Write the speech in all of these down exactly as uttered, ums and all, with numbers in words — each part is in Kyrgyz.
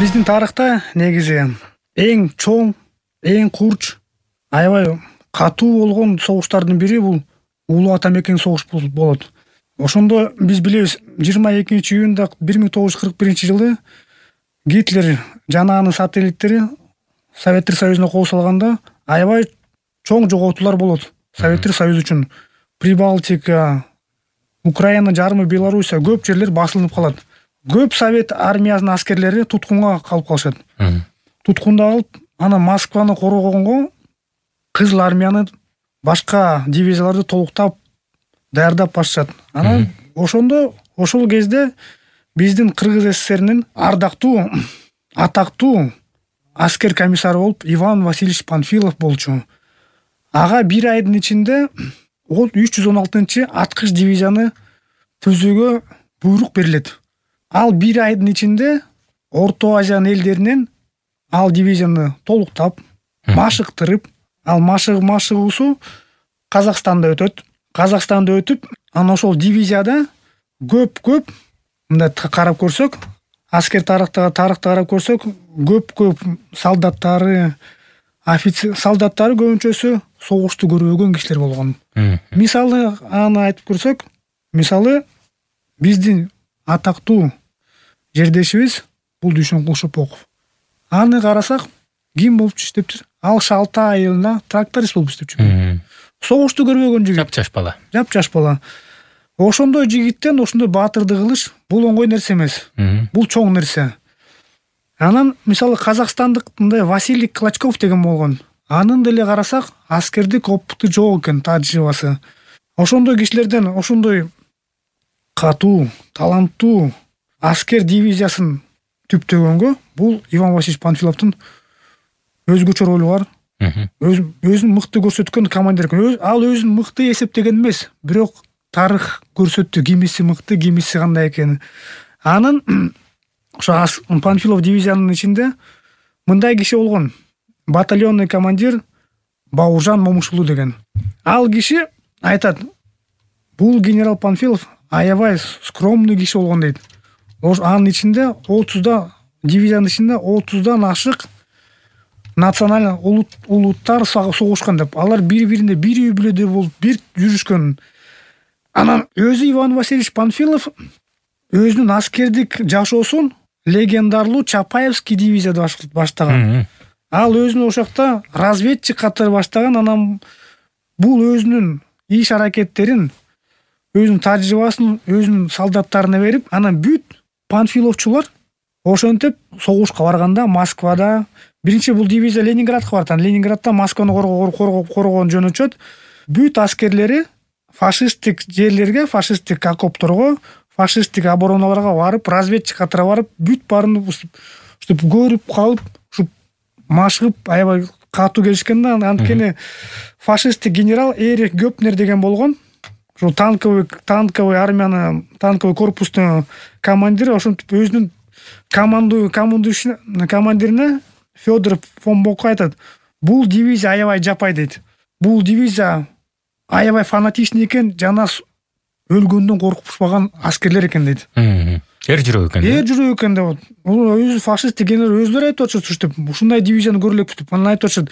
Биздин тарыхта негизи эң чоң, эң курч, аябай катуу болгон согуштардын бири бул Улуу ата мекен согуш болот. Ошондо биз билебиз, жыйырма экинчи июнда бир миң тогуз жүз кырк биринчи жылы Гитлер жана анын сателлиттери Советтер Союзуна кол салганда аябай чоң жоготуулар болот. Советтер Союзу үчүн Прибалтика, Украина жарымы, Белоруссия көп жерлер басылынып калат. Көп Совет армиясынын аскерлери туткунга калып калышат. Туткунда калып, анан Москваны коргогонго Кызыл армияны башка дивизияларды толуктап даярдап башчат. Анан ошондо ошол кезде биздин Кыргыз СССРинин ардактуу, атактуу аскер комиссары болуп Иван Васильевич Панфилов болчу. Ага бир айдын ичинде үч жүз он алтынчы аткыч дивизияны түзүүгө буйрук берилет. Ал бир айдын ичинде Орто Азиянын элдеринен ал дивизияны толуктап, машыктырып, ал машыгы машыгуусу Казакстанда өтөт. Казакстанда өтүп, анан ошол дивизияда көп-көп мындай карап көрсөк, аскер тарыхтагы тарыхты карап көрсөк, көп-көп солдаттары, офицер солдаттары көбүнчөсү согушту көрбөгөн кишилер болгон. Мисалы аны айтып көрсөк, мисалы биздин атактуу жердешибиз Булдушун Кулшопоков. Аны карасак, ким болуп иштептир? Ал Шалтай айылында тракторист болуп иштепчү. Согушту көрбөгөн жигит. Жап-жаш бала. Жап-жаш бала. Ошондой жигиттен ошондой баатырды кылыш бул оңой нерсе эмес. Бул чоң нерсе. Анан мисалы Казакстандык мындай Василий Клочков деген болгон. Анын деле карасак, аскердик опыту жок экен, тажрыйбасы. Ошондой кишилерден ошондой катуу, таланттуу аскер дивизиясын түптөгөнгө бул Иван Васильевич Панфиловдун өзгөчө ролу бар. Өзүн мыкты көрсөткөн командир. Ал өзүн мыкты эсептеген эмес, бирок тарых көрсөттү кимиси мыкты, кимиси кандай экенин. Анын ошо Панфилов дивизиянын ичинде мындай киши болгон. Батальонный командир Бауыржан Момушулу деген. Ал киши айтат, бул генерал Панфилов аябай скромный киши болгон дейт. Анын ичинде отузда дивизиянын ичинде отуздан ашык националь улуттар согушкан деп. Алар бири-бирине бир үй бүлөдө болуп, бир жүрүшкөн. Анан өзү Иван Васильевич Панфилов өзүнүн аскердик жашоосун легендарлуу Чапаевский дивизияда баштаган. Ал өзүнүн ошокто разведчик катары баштаган. Анан бул өзүнүн иш аракеттерин, өзүнүн тажрыйбасын өзүнүн солдаттарына берип, анан бүт панфиловчулар ошентип согушка барганда Москвада биринчи бул дивизия Ленинградка барат. Анан Ленинградда Москваны коргогон жөн өчөт. Бүт аскерлери фашисттик жерлерге, фашисттик окопторго, фашисттик обороналарга барып, разведчик катары барып, бүт баарын ушинтип көрүп калып, ушу машыгып аябай катуу келишкен да. Анткени фашисттик генерал Эрих Гёпнер деген болгон. Ошо танковый танковый армияны, танковый корпустун командири. Ошентип өзүнүн команду командирине Федор фон Бокко айтат, бул дивизия аябай жапай дейт. Бул дивизия аябай фанатичный экен, жана өлгөндөн коркушпаган аскерлер экен дейт. Эр жүрөк экен. Эр жүрөк экен деп. Өзү фашисттик генерал өзүлөрү айтып атышат ушинтип, ушундай дивизияны көрөлүк деп. Анан айтып атышат,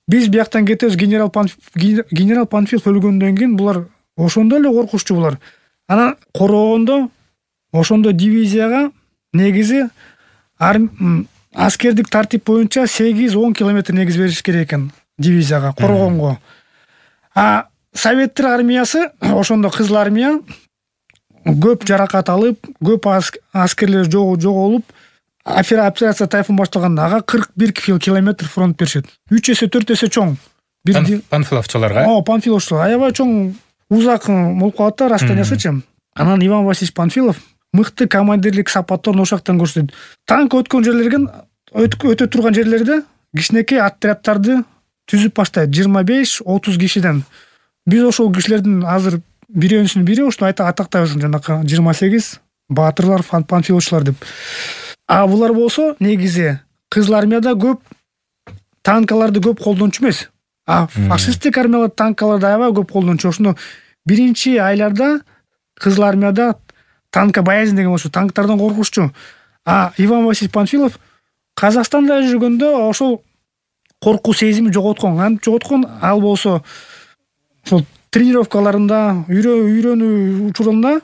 биз бияктан кетебиз, генерал генерал Панфилов өлгөндөн кийин булар ошондо эле коркуччу булар. Анан коргогондо ошондо дивизияга негизи аскердик тартип боюнча сегиз он километр негиз бериш керек экен дивизияга коргогонго. А Советтер армиясы, ошондо Кызыл армия көп жаракат алып, көп аскерлер жоголуп, операция Тайфун башталганда ага кырк бир километр фронт беришет. үч эсе төрт эсе чоң. Панфиловчуларга? О, Панфиловчулар аябай чоң, узак болуп калат да расстояниясычы. Анан Иван Васильевич Панфилов мыкты командирлик сапаттарын ошоктон көрсөтөт. Танк өткөн жерлерге, өтө турган жерлерде кичинекей отряддарды түзүп баштайт, жыйырма беш отуз кишиден. Биз ошол кишилердин азыр бирөөсүнүн бири ошо атактайбыз, жанакы жыйырма сегиз баатырлар, панфиловчулар деп. А булар болсо негизи Кызыл армияда көп танкаларды көп колдончу эмес. А фашисттик армиялар танкаларды аябай көп колдончу. Ошондо биринчи айларда Кызыл армияда танка боязнь деген болчу, танктардан коркушчу. А Иван Васильевич Панфилов Казакстанда жүргөндө ошол коркуу сезими жоготкон. Кантип жоготкон? Ал болсо ошол тренировкаларында, үйрөнүү учурунда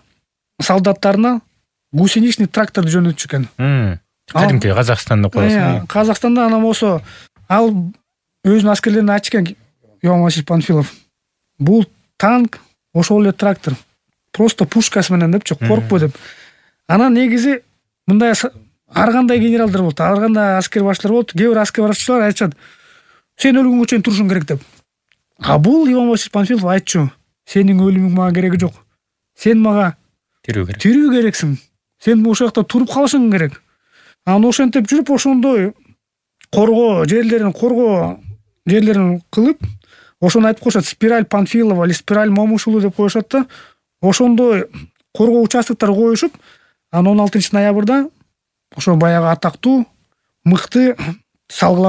солдаттарына гусеничный тракторду жөнөтчү экен. Кадимки Казакстанда коесуң. Казакстанда анан болсо ал өзүнүн аскерлерине айтчу экен Иван Васильевич Панфилов. Бул танк, ошол эле трактор. Просто пушкасы менен депчи, коркпо деп. Анан негизи мындай ар кандай генералдар болот, ар кандай аскер башчылар болот. Кээ бир аскер башчылар айтышат: "Сен өлгөнгө чейин турушуң керек" деп. А бул Иван Васильевич Панфилов айтчу: "Сенин өлүмүң мага кереги жок. Сен мага Тирүү керек. Тирүү керексиң. Сен ошол жакта туруп калышың керек." Анан ошентип жүрүп ошондой коргоо жерлерин, коргоо жерлерин кылып, ошону айтып коюшат: спираль Панфилова или спираль Момушулу деп коюшат да. Ошондой коргоо участоктор коюшуп, анан он алтынчы ноябрда ошо баягы атактуу, мыкты салгылаш